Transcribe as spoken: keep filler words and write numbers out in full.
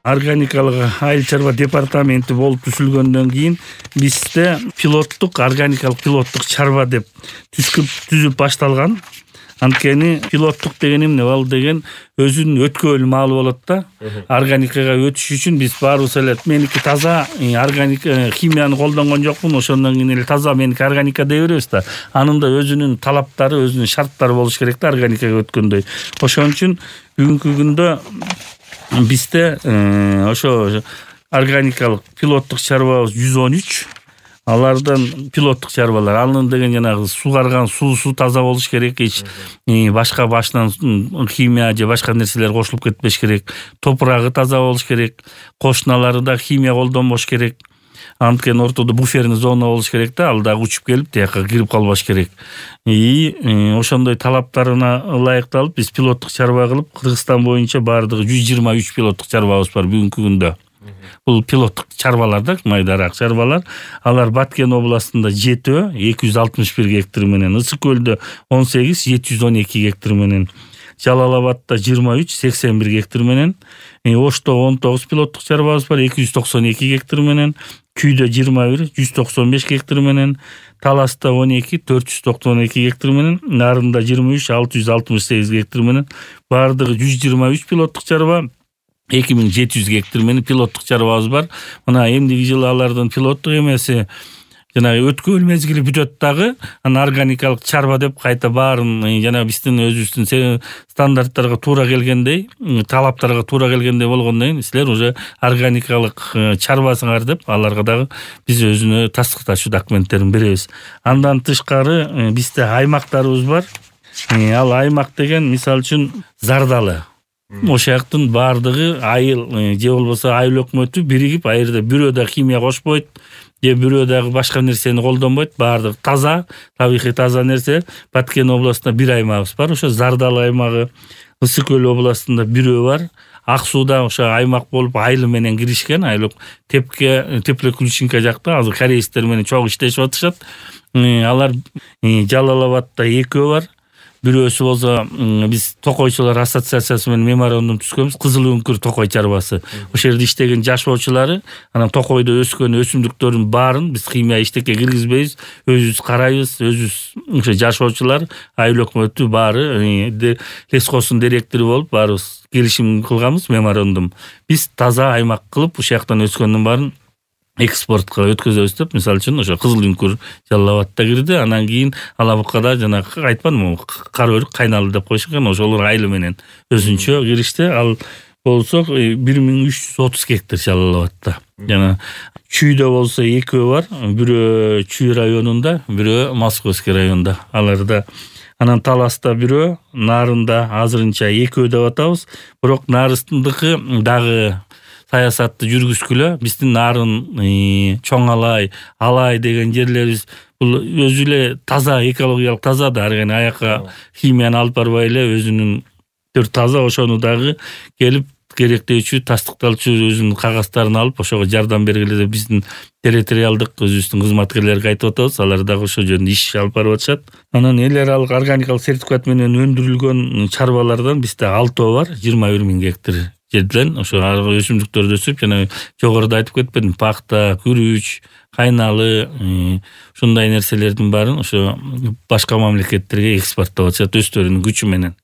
органикалык айыл чарба департаменти болуп түзүлгөндөн кийин бизде пилоттук органикалык пилоттук чарба деп түзүп түзүп башталган. Анткени пилоттук деген эмне? Ал деген өзүнүн өткөөл маалы болот да. Органикага өтүш үчүн биз баарыбыз эле меники таза органик химияны колдонгон жокмун, ошондон кийин эле таза меники органика дей беребиз да. Анын да өзүнүн талаптары, өзүнүн шарттары болуш керек да органикага өткөндөй. Ошон үчүн бүгүнкү күндө бизде ошо органикалык пилоттук чарбабыз жүз он үч. Алардан пилоттук чарбалар алынын деген жанагы сугарган суусу таза болуш керек, эч башка башынан химия же башка нерселер кошулуп кетпеш керек. Топурагы таза болуш керек, кошуналары да химия колдонбош керек. Анткени ортодо буферный зона болуш керек да, ал дагы учуп келип тияка кирип калбаш керек. И ошондой талаптарына ылайыкталып биз пилоттук чарба кылып, Кыргызстан боюнча баардыгы жүз жыйырма үч пилоттук чарбабыз бар бүгүнкү күндө. Бул пилоттук чарбалар да, майдараак чарбалар. Алар Баткен областында жетөө эки жүз алтымыш бир гектар менен, Ысык көлдө он сегиз жети жүз он эки гектар менен, Жалал Абадта жыйырма үч сексен бир гектар менен, Ошто он тогуз пилоттук чарбабыз бар эки жүз токсон эки гектар менен, Күйдө жыйырма бир жүз токсон беш гектар менен, Таласта он эки төрт жүз токсон эки гектар менен, Нарында жыйырма үч алты жүз алтымыш сегиз гектар менен, баардыгы жүз жыйырма үч пилоттук чарба, эки миң жети жүз гектар менен пилоттук чарбабыз бар. Мына эмдиги жылы алардын пилоттук эмеси жанагы өткөөл мезгили бүтөт дагы, анан органикалык чарба деп кайта баарын жана биздин өзүбүздүн стандарттарга туура келгендей, талаптарга туура келгендей болгондон кийин силер уже органикалык чарбасыңар деп аларга дагы биз өзүнө тастыкташуу документтерин беребиз. Андан тышкары бизде аймактарыбыз бар. Ал аймак деген мисалы үчүн Зардалы. Ошол жактын баардыгы айыл же болбосо айыл өкмөтү биригип, айырда бирөө да химия кошпойт, же бирөө дагы башка нерсени колдонбойт, баардыгы таза, табигый таза нерсе. Баткен областында бир аймагыбыз бар, ошо Зардалы аймагы. Ысык көл областында бирөө бар. Ак сууда ошо аймак болуп айыл менен киришкен, айыл Тепке, Теплоключинка жакта азыр корейстер менен чогуу иштешип атышат. Алар Жалал Абадта экөө бар. Бирөөсү болсо биз токойчулар ассоциациясы менен меморандум түзгөнбүз, Кызыл үңкүр токой чарбасы. Ошол жерде иштеген жашоочулары, анан токойдо өскөн өсүмдүктөрдүн баарын биз химия иштекке киргизбейбиз, өзүбүз карайбыз, өзүбүз ошо жашоочулар, айыл өкмөтү баары лескосун директору болуп баарыбыз келишим кылганбыз, меморандум. Биз таза аймак кылып, ушул жактан өскөндүн баарын экспортко өткөзөбүз деп, мисалы үчүн ошо Кызыл үңкүр Жалал Абадта кирди, анан кийин Алабуккада жана айтпадымбы, кара өрүк Кайналы деп коюшкан, ошолор айылы менен өзүнчө киришти. Ал болсо бир миң үч жүз отуз гектар Жалал Абадта. Жана Чүйдө болсо экөө бар, бирөө Чүй районунда, бирөө Московский районунда. Аларда анан Таласта бирөө, Нарында азырынча экөө деп атабыз. Бирок Нарындыкы дагы саясатты жүргүзгүлө, биздин Нарын, Чоң Алай, Алай деген жерлерибиз бул өзү эле таза, экологиялык таза да, ар кайсы аяка химияны алып барбай эле өзүнүн таза, ошону дагы келип керектөөчү, тастыкталчу өзүнүн кагазтарын алып ошого жардам бергиле деп биздин территориалдык өзүбүздүн кызматкерлерге айтып атабыз. Алар дагы ошол жөнүндө иш алып барып атышат. Анан эл аралык органикалык сертификат менен өндүрүлгөн чарбалардан бизде алтоо бар, жыйырма бир миң гектар жерден ошо өсүмдүктөрдү өсүп, жана жогоруда айтып кетпедим, пахта, күрүч, Кайналы, ушундай нерселердин баарын ошо башка мамлекеттерге экспорттоп атышат өздөрүнүн күчү менен.